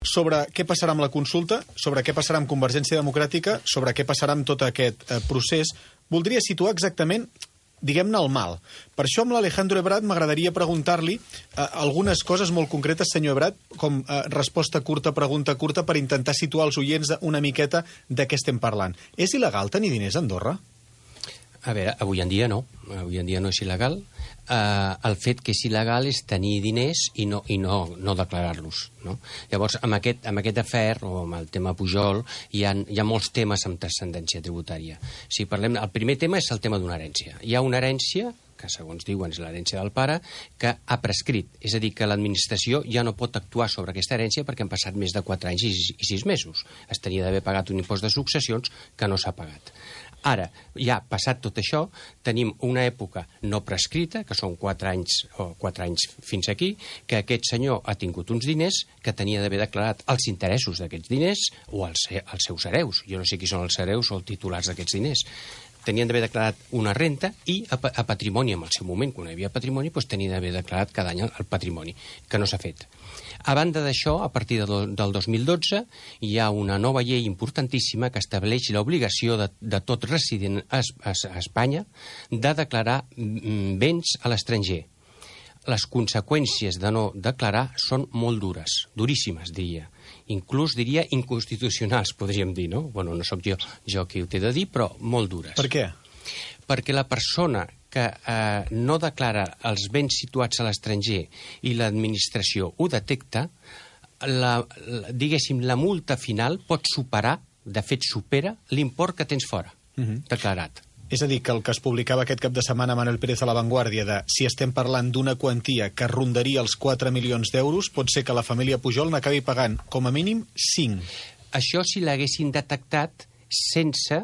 sobre què passarà amb la consulta, sobre què passarà amb Convergència Democràtica, sobre què passarà amb tot aquest procés. Voldria situar exactament, diguem-ne, el mal. Per això amb l'Alejandro Ebrard m'agradaria preguntar-li algunes coses molt concretes, senyor Ebrard, com resposta curta, pregunta curta, per intentar situar els oients una miqueta de què estem parlant. És il·legal tenir diners a Andorra? A veure, avui en dia no. Avui en dia no és il·legal. El fet que és il·legal és tenir diners i no declarar-los. No? Llavors, amb aquest afer, o amb el tema Pujol, hi ha molts temes amb transcendència tributària. Si parlem, el primer tema és el tema d'una herència. Hi ha una herència, que segons diuen és l'herència del pare, que ha prescrit. És a dir, que l'administració ja no pot actuar sobre aquesta herència perquè han passat més de 4 anys i 6 mesos. Es tenia d'haver pagat un impost de successions que no s'ha pagat. Ara, ja passat tot això, tenim una època no prescrita, que són 4 anys fins aquí, que aquest senyor ha tingut uns diners que tenia d'haver declarat els interessos d'aquests diners o els seus hereus. Jo no sé qui són els hereus o els titulars d'aquests diners. Tenien d'haver declarat una renta i a patrimoni, en el seu moment, quan hi havia patrimoni, doncs tenien d'haver declarat cada any el patrimoni, que no s'ha fet. A banda d'això, a partir del 2012, hi ha una nova llei importantíssima que estableix l'obligació de tot resident a Espanya de declarar béns a l'estranger. Les conseqüències de no declarar són molt dures, duríssimes, diria. Inclús, diria, inconstitucionals, podríem dir, no? Bueno, no sóc jo qui ho té de dir, però molt dures. Per què? Perquè la persona que no declara els béns situats a l'estranger i l'administració ho detecta, diguéssim, la multa final pot superar, de fet supera, l'import que tens fora, declarat. És a dir, que el que es publicava aquest cap de setmana Manuel Pérez a La Vanguardia de si estem parlant d'una quantia que rondaria els 4 milions d'euros, pot ser que la família Pujol n'acabi pagant com a mínim 5. Això si l'haguessin detectat sense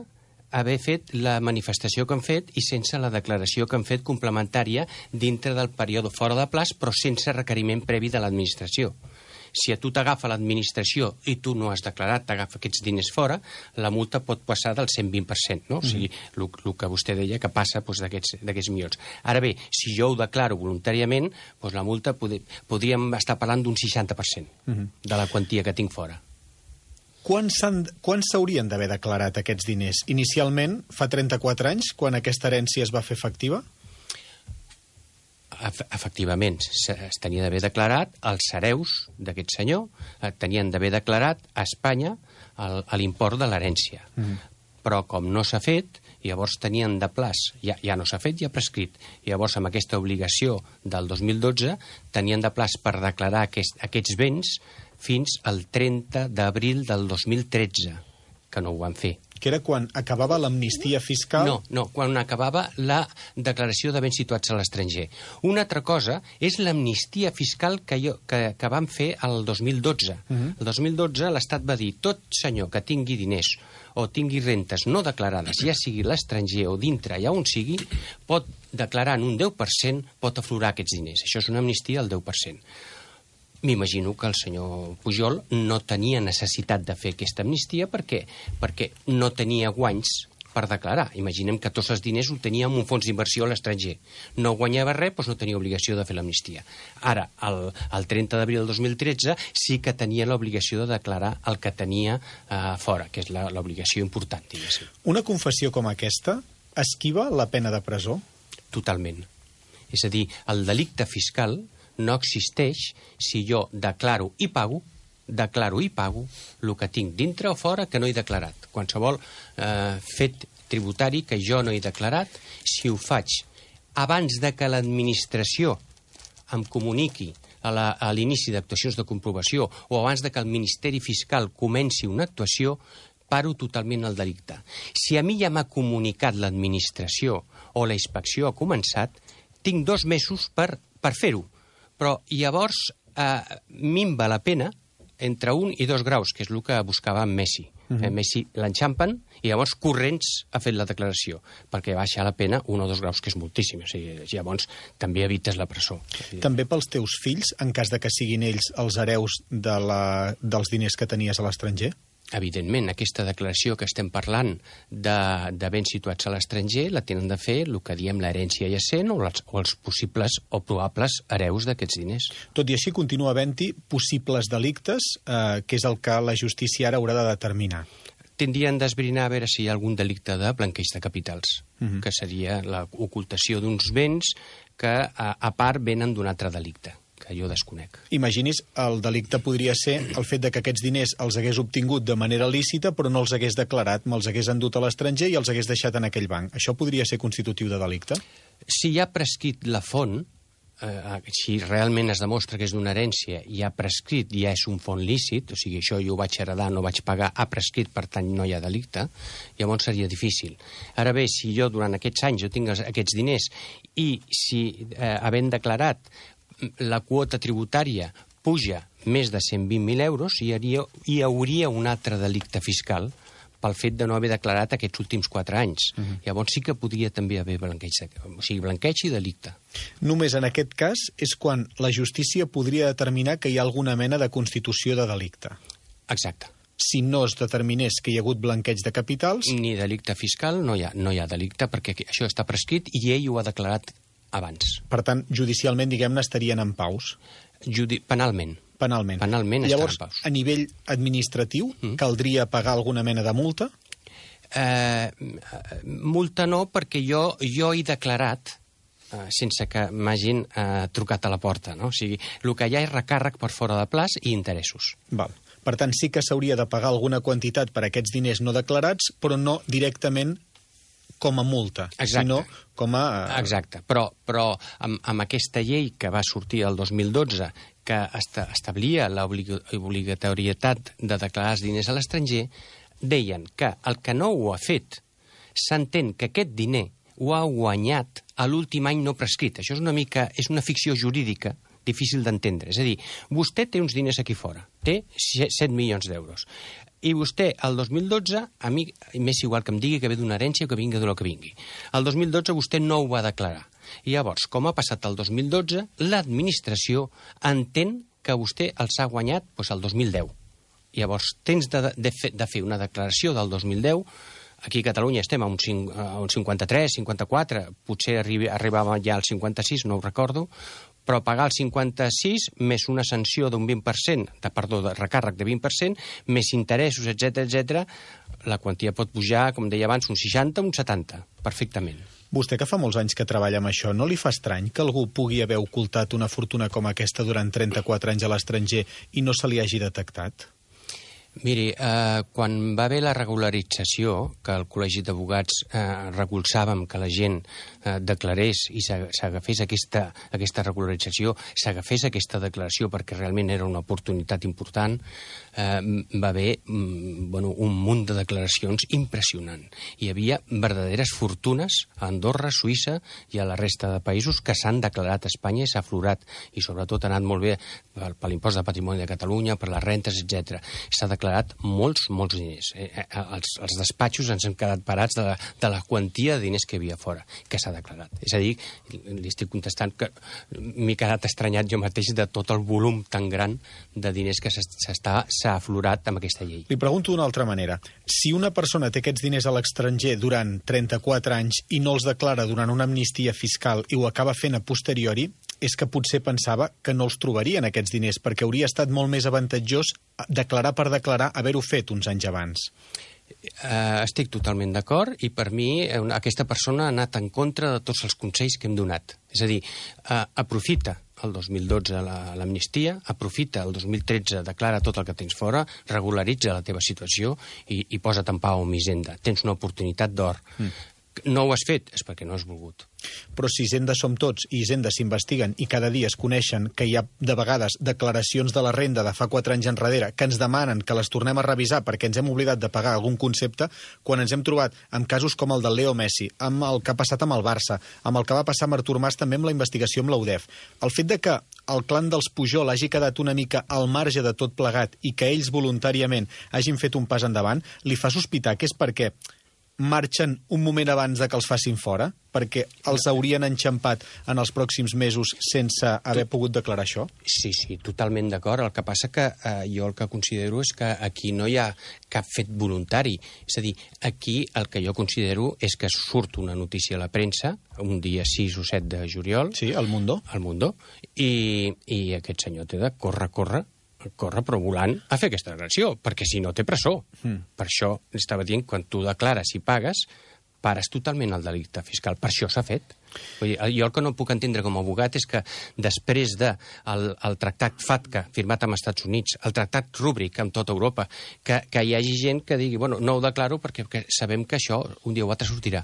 haver fet la manifestació que han fet i sense la declaració que han fet complementària dintre del període fora de plaç, però sense requeriment previ de l'administració. Si a tu t'agafa l'administració i tu no has declarat, t'agafa aquests diners fora, la multa pot passar del 120%, no? O sigui, el que vostè deia que passa d'aquests milions. Ara bé, si jo ho declaro voluntàriament, doncs la multa podríem estar parlant d'un 60% de la quantia que tinc fora. Quan s'haurien d'haver declarat aquests diners? Inicialment, fa 34 anys, quan aquesta herència es va fer efectiva? Efectivament, es tenia d'haver declarat els hereus d'aquest senyor, tenien d'haver declarat a Espanya l'import de l'herència. Però com no s'ha fet, llavors tenien de plaç, ja no s'ha fet, ja ha prescrit. Llavors, amb aquesta obligació del 2012, tenien de plaç per declarar aquests béns fins al 30 d'abril del 2013, que no ho van fer. Que era quan acabava l'amnistia fiscal? No, quan acabava la declaració de béns situats a l'estranger. Una altra cosa és l'amnistia fiscal que van fer el 2012. El 2012 l'Estat va dir tot senyor que tingui diners o tingui rentes no declarades, ja sigui l'estranger o dintre, allà on sigui, pot declarar en un 10%, pot aflorar aquests diners. Això és una amnistia al 10%. M'imagino que el senyor Pujol no tenia necessitat de fer aquesta amnistia perquè no tenia guanys per declarar. Imaginem que tots els diners ho tenia en un fons d'inversió a l'estranger. No guanyava res, doncs no tenia obligació de fer l'amnistia. Ara, el 30 d'abril del 2013 sí que tenia l'obligació de declarar el que tenia fora, que és l'obligació important, diguéssim. Una confessió com aquesta esquiva la pena de presó? Totalment. És a dir, el delicte fiscal no existeix si jo declaro i pago el que tinc dintre o fora que no he declarat. Qualsevol fet tributari que jo no he declarat, si ho faig abans de que l'administració em comuniqui a l'inici d'actuacions de comprovació o abans de que el Ministeri Fiscal comenci una actuació, paro totalment el delicte. Si a mi ja m'ha comunicat l'administració o la inspecció ha començat, tinc 2 mesos per fer-ho. Però llavors minva la pena entre 1 i 2 graus, que és el que buscava en Messi. Messi l'enxampen i llavors corrents ha fet la declaració, perquè baixa la pena 1 o 2 graus, que és moltíssim. O sigui, llavors també evites la presó. També pels teus fills, en cas de que siguin ells els hereus dels diners que tenies a l'estranger? Evidentment, aquesta declaració que estem parlant de béns situats a l'estranger la tenen de fer el que diem l'herència jacent o els possibles o probables hereus d'aquests diners. Tot i així, continua havent-hi possibles delictes, que és el que la justícia ara haurà de determinar. Tindrien d'esbrinar a veure si hi ha algun delicte de blanqueig de capitals, que seria l'ocultació d'uns béns que, a part, venen d'un altre delicte, que jo desconec. Imagini's, el delicte podria ser el fet de que aquests diners els hagués obtingut de manera lícita, però no els hagués declarat, me'ls hagués endut a l'estranger i els hagués deixat en aquell banc. Això podria ser constitutiu de delicte? Si hi ha prescrit la font, si realment es demostra que és d'una herència i ha prescrit, ja és un font lícit, o sigui, això jo ho vaig heredar, no vaig pagar, ha prescrit, per tant no hi ha delicte, llavors seria difícil. Ara bé, si jo durant aquests anys jo tinc aquests diners i si, havent declarat, la quota tributària puja més de 120.000 euros, hi hauria un altre delicte fiscal pel fet de no haver declarat aquests últims 4 anys. Llavors sí que podria també haver blanqueig i delicte. Només en aquest cas és quan la justícia podria determinar que hi ha alguna mena de constitució de delicte. Exacte. Si no es determinés que hi ha hagut blanqueig de capitals... Ni delicte fiscal, no hi ha delicte, perquè això està prescrit i ell ho ha declarat abans. Per tant, judicialment, diguem-ne, estarien en paus. Penalment. Penalment. Llavors, estan en paus. A nivell administratiu, caldria pagar alguna mena de multa? Multa no, perquè jo he declarat sense que m'hagin trucat a la porta, no? O sigui, el que hi ha és recàrrec per fora de plaç i interessos. Val. Per tant, sí que s'hauria de pagar alguna quantitat per aquests diners no declarats, però no directament com a multa, sinó com a... Exacte, però amb aquesta llei que va sortir el 2012, que establia l'obligatorietat de declarar els diners a l'estranger, deien que el que no ho ha fet s'entén que aquest diner ho ha guanyat a l'últim any no prescrit. Això és una ficció jurídica difícil d'entendre. És a dir, vostè té uns diners aquí fora, té 7 milions d'euros. I vostè, el 2012, a mi m'és igual que em digui que ve d'una herència o que vingui del que vingui. El 2012 vostè no ho va declarar. I llavors, com ha passat el 2012, l'administració entén que vostè els ha guanyat el 2010. Llavors, tens de fer una declaració del 2010. Aquí a Catalunya estem a un 53, 54, potser arribàvem ja al 56, no ho recordo, però pagar el 56 més una sanció d'un 20%, de recàrrec de 20%, més interessos, etc., la quantia pot pujar, com deia abans, un 60, un 70, perfectament. Vostè, que fa molts anys que treballa amb això, no li fa estrany que algú pugui haver ocultat una fortuna com aquesta durant 34 anys a l'estranger i no se li hagi detectat? Miri, quan va haver la regularització, que el Col·legi d'Advocats recolzàvem que la gent declarés i s'agafés aquesta regularització, s'agafés aquesta declaració perquè realment era una oportunitat important, va haver un munt de declaracions impressionant. Hi havia verdaderes fortunes a Andorra, Suïssa i a la resta de països que s'han declarat a Espanya i s'ha aflorat, i sobretot ha anat molt bé per l'impost de patrimoni de Catalunya, per les rentes, etc. S'ha declarat molts diners. Els despatxos ens hem quedat parats de la quantia de diners que hi havia fora, que s'ha declarat. És a dir, li estic contestant que m'he quedat estranyat jo mateix de tot el volum tan gran de diners que s'ha aflorat amb aquesta llei. Li pregunto d'una altra manera. Si una persona té aquests diners a l'estranger durant 34 anys i no els declara durant una amnistia fiscal i ho acaba fent a posteriori, és que potser pensava que no els trobarien aquests diners, perquè hauria estat molt més avantatjós declarar per declarar haver-ho fet uns anys abans. Estic totalment d'acord i per mi aquesta persona ha anat en contra de tots els consells que hem donat. És a dir, aprofita el 2012 l'amnistia, aprofita el 2013, declara tot el que tens fora, regularitza la teva situació i posa't en pau amb Hisenda. Tens una oportunitat d'or. No ho has fet, és perquè no has volgut. Però si Hisenda som tots i Hisenda s'investiguen i cada dia es coneixen que hi ha de vegades declaracions de la renda de fa 4 anys enrere que ens demanen que les tornem a revisar perquè ens hem oblidat de pagar algun concepte, quan ens hem trobat amb casos com el del Leo Messi, amb el que ha passat amb el Barça, amb el que va passar amb Artur Mas també amb la investigació amb l'UDEF, el fet de que el clan dels Pujol hagi quedat una mica al marge de tot plegat i que ells voluntàriament hagin fet un pas endavant, li fa sospitar que és perquè marxen un moment abans de que els facin fora? perquè els haurien enxampat en els pròxims mesos sense haver pogut declarar això? Sí, totalment d'acord. El que passa que jo el que considero és que aquí no hi ha cap fet voluntari. És a dir, aquí el que jo considero és que surt una notícia a la premsa un dia 6 o 7 de juliol. Sí, al Mundo. Al Mundo. I aquest senyor té de córrer però volant a fer aquesta declaració, perquè si no té presó. Per això estava dient, quan tu declares i pagues, pares totalment el delicte fiscal. Per això s'ha fet. Vull dir, jo el que no puc entendre com a abogat és que després del tractat FATCA firmat amb Estats Units, el tractat Rúbric amb tota Europa, que hi hagi gent que digui, bueno, no ho declaro perquè sabem que això un dia o altre sortirà.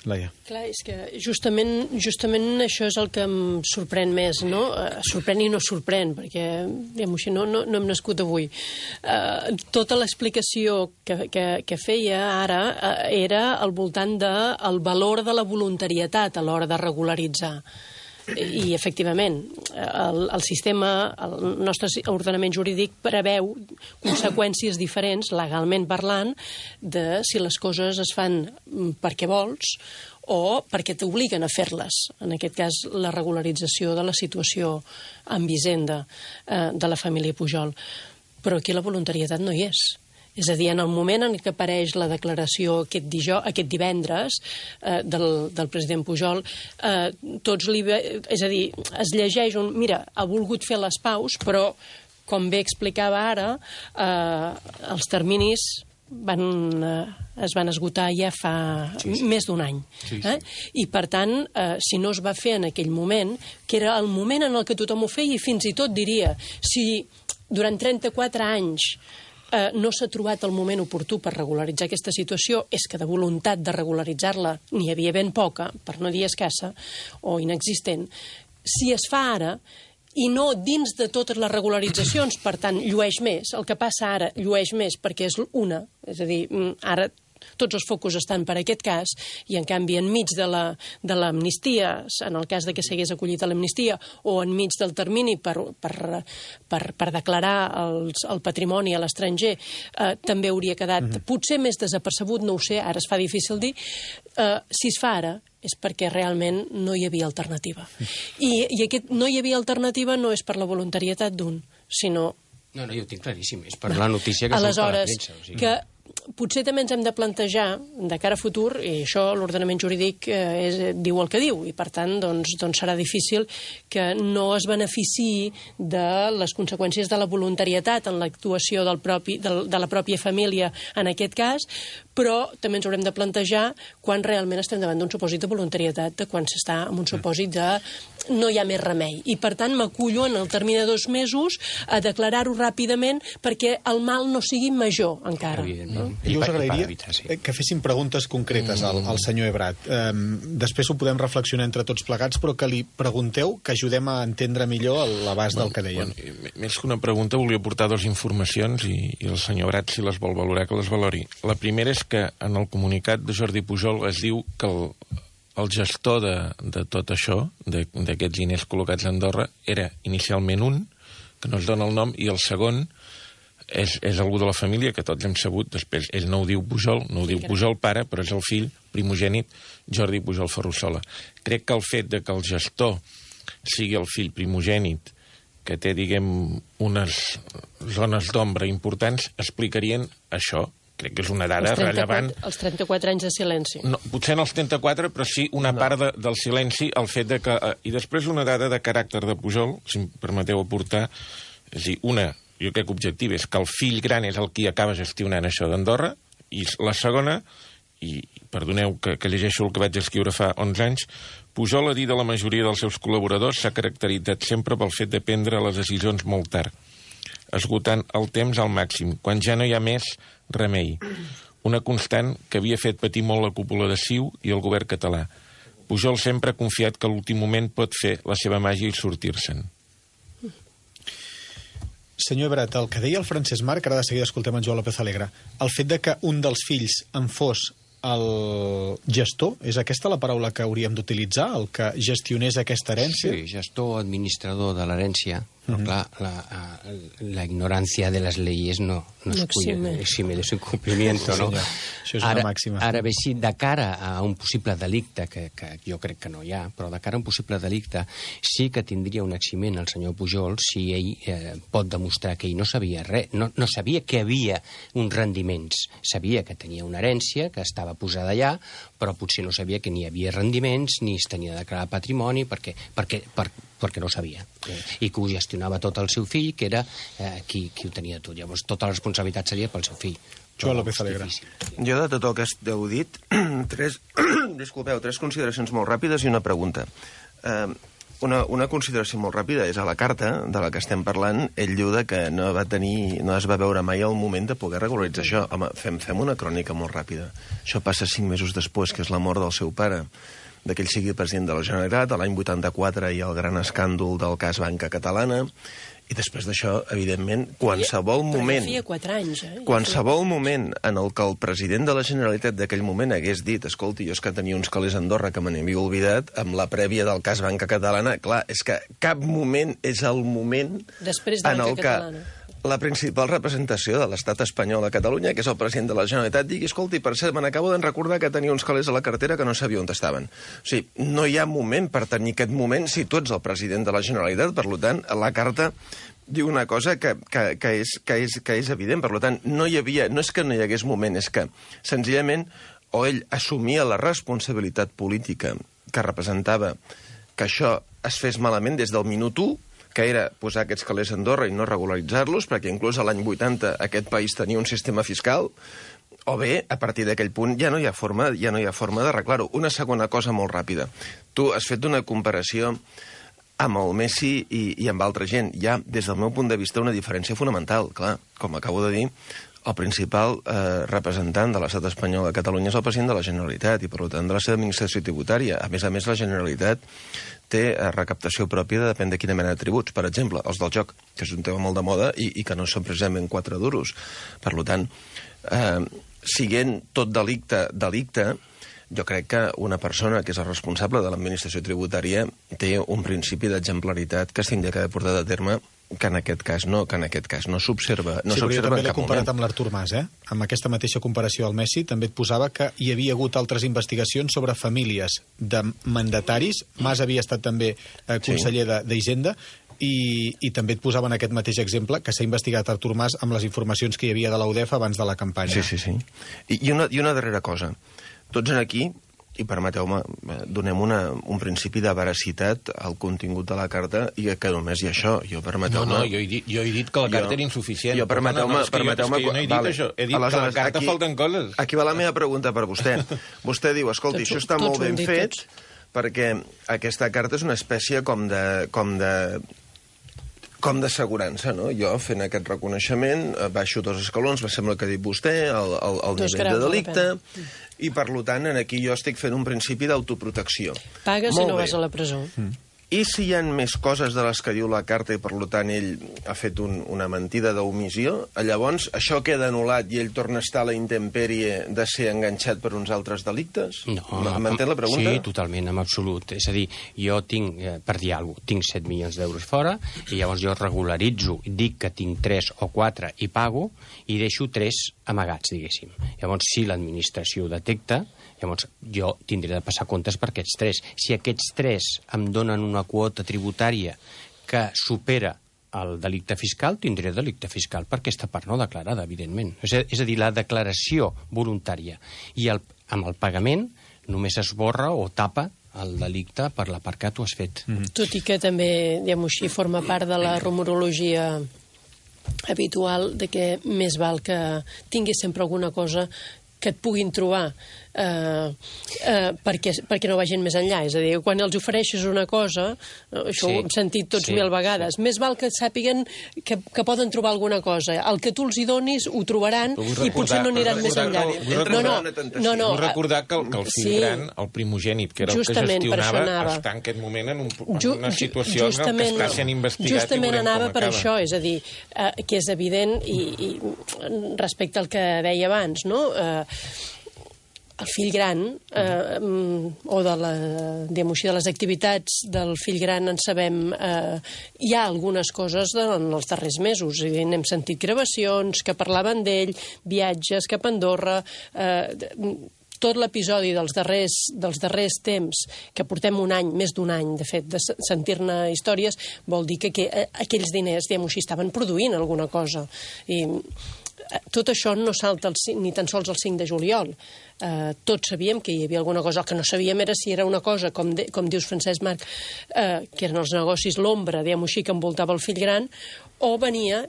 Laia. Clar, és que justament això és el que em sorprèn més, no? Sorprèn i no sorprèn, perquè, diguem-ho així, no hem nascut avui. Tota l'explicació que feia ara era al voltant del valor de la voluntarietat a l'hora de regularitzar. I, efectivament, el sistema, el nostre ordenament jurídic preveu conseqüències diferents, legalment parlant, de si les coses es fan perquè vols o perquè t'obliguen a fer-les. En aquest cas, la regularització de la situació amb Hisenda de la família Pujol. Però aquí la voluntarietat no hi és. És a dir, en el moment en què apareix la declaració aquest divendres del president Pujol, és a dir, es llegeix mira, ha volgut fer les paus, però, com bé explicava ara, els terminis es van esgotar ja fa més d'un any. I, per tant, si no es va fer en aquell moment, que era el moment en el que tothom ho feia, i fins i tot diria, si durant 34 anys no s'ha trobat el moment oportú per regularitzar aquesta situació, és que de voluntat de regularitzar-la n'hi havia ben poca, per no dir escassa o inexistent. Si es fa ara i no dins de totes les regularitzacions, per tant, llueix més, el que passa ara llueix més perquè és una, és a dir, ara tots els focus estan per aquest cas, i en canvi enmig de l'amnistia, en el cas de que s'hagués acollit a l'amnistia, o enmig del termini per declarar el patrimoni a l'estranger, també hauria quedat potser més desapercebut, no ho sé, ara es fa difícil dir. Si es fa ara és perquè realment no hi havia alternativa. I aquest no hi havia alternativa no és per la voluntarietat d'un, sinó... No, jo ho tinc claríssim, és per la notícia que surt a la premsa. Que potser també ens hem de plantejar de cara a futur, i això l'ordenament jurídic diu el que diu, i per tant doncs serà difícil que no es beneficiï de les conseqüències de la voluntarietat en l'actuació de la pròpia família en aquest cas, però també ens haurem de plantejar quan realment estem davant d'un supòsit de voluntarietat, de quan s'està en un supòsit de no hi ha més remei. I per tant m'acullo en el termini de 2 mesos a declarar-ho ràpidament perquè el mal no sigui major encara. Jo us agrairia que fessin preguntes concretes al senyor Ebrat. Després ho podem reflexionar entre tots plegats, però que li pregunteu, que ajudem a entendre millor l'abast del que deien. Més que una pregunta, volia portar 2 informacions i el senyor Ebrat, si les vol valorar, que les valori. La primera és que en el comunicat de Jordi Pujol es diu que el gestor de tot això, d'aquests diners col·locats a Andorra, era inicialment un, que no es dona el nom, i el segon és algú de la família, que tots hem sabut, després ell no ho diu Pujol, no ho diu Pujol pare, però és el fill primogènit Jordi Pujol Ferrusola. Crec que el fet de que el gestor sigui el fill primogènit, que té, diguem, unes zones d'ombra importants, explicarien això. Crec que és una dada rellevant. Els 34 anys de silenci. No, potser en els 34, però sí una part del silenci, el fet de que... I després una dada de caràcter de Pujol, si em permeteu aportar, és a dir, jo crec que objectiu és que el fill gran és el qui acaba gestionant això d'Andorra, i la segona, i perdoneu que llegeixo el que vaig escriure fa 11 anys, Pujol, a dir de la majoria dels seus col·laboradors, s'ha caracteritzat sempre pel fet de prendre les decisions molt tard, esgotant el temps al màxim, quan ja no hi ha més remei. Una constant que havia fet patir molt la cúpula de CiU i el govern català. Pujol sempre ha confiat que a l'últim moment pot fer la seva màgia i sortir-se'n. Senyor Ebrat, el que deia el Francesc Marc, ara de seguida escoltem en Joan López Alegre, el fet de que un dels fills en fos el gestor, és aquesta la paraula que hauríem d'utilitzar, el que gestionés aquesta herència? Sí, gestor, administrador de l'herència, Però, clar, la ignorancia de les leyes no exime de su incumplimiento, no? Això és una màxima. Ara bé, sí, de cara a un possible delicte, que jo crec que no hi ha, però de cara a un possible delicte sí que tindria un eximent el senyor Pujol si ell pot demostrar que ell no sabia res, no sabia que havia uns rendiments. Sabia que tenia una herència, que estava posada allà, però potser no sabia que ni hi havia rendiments, ni es tenia de declarar patrimoni, perquè no ho sabia. I que ho gestionava tot el seu fill, que era qui ho tenia tot. Llavors, tota la responsabilitat seria pel seu fill. Joan López Alegre. Jo, de tot el que heu dit, tres consideracions molt ràpides i una pregunta. Una consideració molt ràpida és a la carta de la que estem parlant, ell diu que no es va veure mai el moment de poder regularitzar això. Home, fem una crònica molt ràpida. Això passa 5 mesos després, que és la mort del seu pare, que ell sigui president de la Generalitat. A l'any 84 hi ha el gran escàndol del cas Banca Catalana, i després d'això, evidentment, qualsevol moment... Però ja feia 4 anys, Qualsevol moment en el que el president de la Generalitat d'aquell moment hagués dit escolti, jo és que tenia uns calés a Andorra que me n'havia oblidat, amb la prèvia del cas Banca Catalana, clar, és que cap moment és el moment en el que la principal representació de l'estat espanyol a Catalunya, que és el president de la Generalitat, digui, escolti, per cert, me n'acabo de recordar que tenia uns calés a la cartera que no sabia on estaven. O sigui, no hi ha moment per tenir aquest moment si tu ets el president de la Generalitat. Per tant, la carta diu una cosa que és evident. Per tant, no és que no hi hagués moment, és que, senzillament, o ell assumia la responsabilitat política que representava que això es fes malament des del minut 1, que era posar aquests calés a Andorra i no regularitzar-los, perquè inclús a l'any 80 aquest país tenia un sistema fiscal, o bé, a partir d'aquell punt, ja no hi ha forma d'arreglar-ho. Una segona cosa molt ràpida. Tu has fet una comparació amb el Messi i amb altra gent. Hi ha, des del meu punt de vista, una diferència fonamental. Clar, com acabo de dir, el principal representant de l'estat espanyol a Catalunya és el president de la Generalitat i, per tant, de la seva administració tributària. A més, la Generalitat té recaptació pròpia, depèn de quina mena de tributs. Per exemple, els del joc, que és un tema molt de moda i que no són precisament 4 duros. Per tant, siguent tot delicte, jo crec que una persona que és el responsable de l'administració tributària té un principi d'exemplaritat que s'hauria d'haver portat a terme, que en aquest cas no s'observa en cap moment. Sí, però jo també l'he comparat amb l'Artur Mas, Amb aquesta mateixa comparació al Messi també et posava que hi havia hagut altres investigacions sobre famílies de mandataris. Mas havia estat també conseller d'Hisenda, i també et posava en aquest mateix exemple que s'ha investigat Artur Mas amb les informacions que hi havia de la UDEF abans de la campanya. Sí. I una darrera cosa. Tots aquí, i permeteu-me, donem un principi de veracitat al contingut de la carta i que només hi ha això. Jo he dit que la carta era insuficient. Permeteu-me... Jo no he dit això. He dit que a la carta falten coses. Aquí va la meva pregunta per vostè. Vostè diu, escolti, això està molt ben fet perquè aquesta carta és una espècie com d'assegurança, no? Jo, fent aquest reconeixement, baixo 2 escalons, me sembla que ha dit vostè, el nivell de delicte, i per tant, aquí jo estic fent un principi d'autoprotecció. Pagues i no vas a la presó. I si hi ha més coses de les que diu la carta i, per tant, ell ha fet una mentida d'omissió, llavors això queda anul·lat i ell torna a estar a la intempèrie de ser enganxat per uns altres delictes? No. M'entén la pregunta? Sí, totalment, en absolut. És a dir, jo tinc, per dir alguna cosa, tinc 7 milions d'euros fora i llavors jo regularitzo, dic que tinc 3 o 4 i pago i deixo 3 amagats, diguéssim. Llavors, si l'administració ho detecta, llavors jo tindré de passar comptes per aquests 3. Si aquests 3 em donen una quota tributària que supera el delicte fiscal, tindré delicte fiscal per aquesta part no declarada, evidentment. És a dir, la declaració voluntària i amb el pagament només esborra o tapa el delicte per la part que tu has fet. Tot i que també, diguem-ho així, forma part de la rumorologia habitual de que més val que tinguis sempre alguna cosa que et puguin trobar perquè no vagin més enllà. És a dir, quan els ofereixes una cosa, això ho hem sentit tots 1000 vegades, més val que sàpiguen que poden trobar alguna cosa. El que tu els hi donis ho trobaran i potser no aniran més enllà. Vull recordar que el fill gran, el primogènit, que era el que gestionava, està en aquest moment en una situació en què està sent investigat. Justament anava per això, és a dir, que és evident i respecte al que deia abans, no? el fill gran, o de les activitats del fill gran en sabem, hi ha algunes coses en els darrers mesos. N'hem sentit gravacions que parlaven d'ell, viatges cap a Andorra, tot l'episodi dels darrers temps, que portem un any, més d'un any, de fet, de sentir-ne històries, vol dir que aquells diners, diguem-ho així, estaven produint alguna cosa. I tot això no salta ni tan sols el 5 de juliol. Tots sabíem que hi havia alguna cosa. El que no sabíem era si era una cosa, com dius, Francesc Marc, que eren els negocis, l'ombra, diguem-ho així, que envoltava el fill gran, o venia,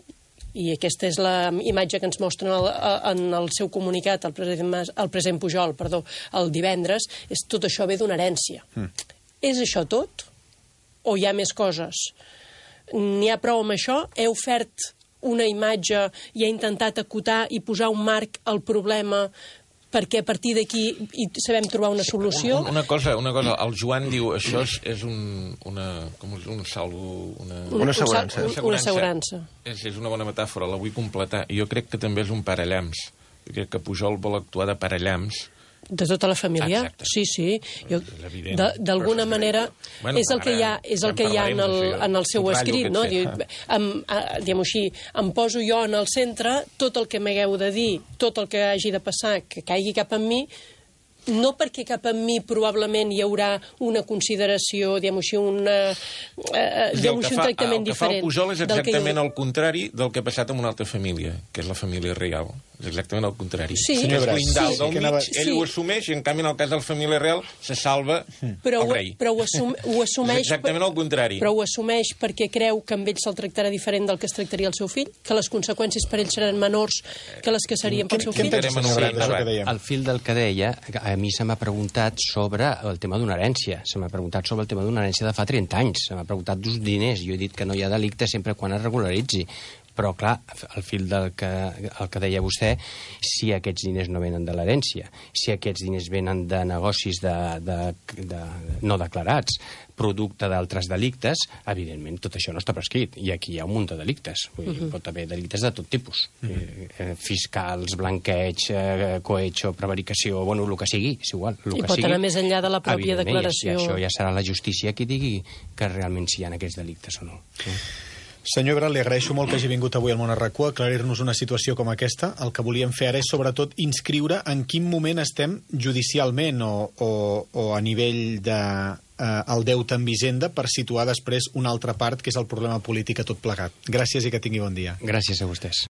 i aquesta és la imatge que ens mostren en el seu comunicat, el president Pujol, el divendres, és tot això ve d'una herència. És això tot? O hi ha més coses? N'hi ha prou amb això? He ofert una imatge i ha intentat acotar i posar un marc al problema perquè a partir d'aquí sabem trobar una solució? Una cosa, el Joan diu això és una assegurança. Una assegurança. És una bona metàfora, la vull completar. Jo crec que també és un parellams. Jo crec que Pujol vol actuar de parellams. De tota la família? Exacte. Sí. D'alguna manera és el que hi ha en el seu escrit, no? Diguem-ho així, em poso jo en el centre, tot el que m'hagueu de dir, tot el que hagi de passar, que caigui cap en mi, no perquè cap en mi probablement hi haurà una consideració, diguem-ho així, un tractament diferent. El que fa el Pujol és exactament el contrari del que ha passat amb una altra família, que és la família Real. És exactament el contrari. Sí. És blindar del mig, ell ho assumeix, i en canvi en el cas de la família Real se salva el rei. Però ho assumeix... És exactament el contrari. Però ho assumeix perquè creu que amb ell se'l tractarà diferent del que es tractaria el seu fill? Que les conseqüències per ell seran menors que les que serien pel seu fill? Al fil del que deia, a mi se m'ha preguntat sobre el tema d'una herència. Se m'ha preguntat sobre el tema d'una herència de fa 30 anys. Se m'ha preguntat d'uns diners. Jo he dit que no hi ha delicte sempre quan es regularitzi. Però, clar, al fil del que deia vostè, si aquests diners no venen de l'herència, si aquests diners venen de negocis no declarats, producte d'altres delictes, evidentment tot això no està prescrit. I aquí hi ha un munt de delictes. Pot haver delictes de tot tipus. Fiscals, blanqueig, cohecho, prevaricació, bueno, el que sigui, és igual. I pot anar més enllà de la pròpia declaració. I això ja serà la justícia qui digui que realment si hi ha aquests delictes o no. Senyor Ebrat, li agraeixo molt que hagi vingut avui al Món a RAC1 a aclarir-nos una situació com aquesta. El que volíem fer ara és, sobretot, inscriure en quin moment estem judicialment o a nivell del deute amb Hisenda per situar després una altra part, que és el problema polític a tot plegat. Gràcies i que tingui bon dia. Gràcies a vostès.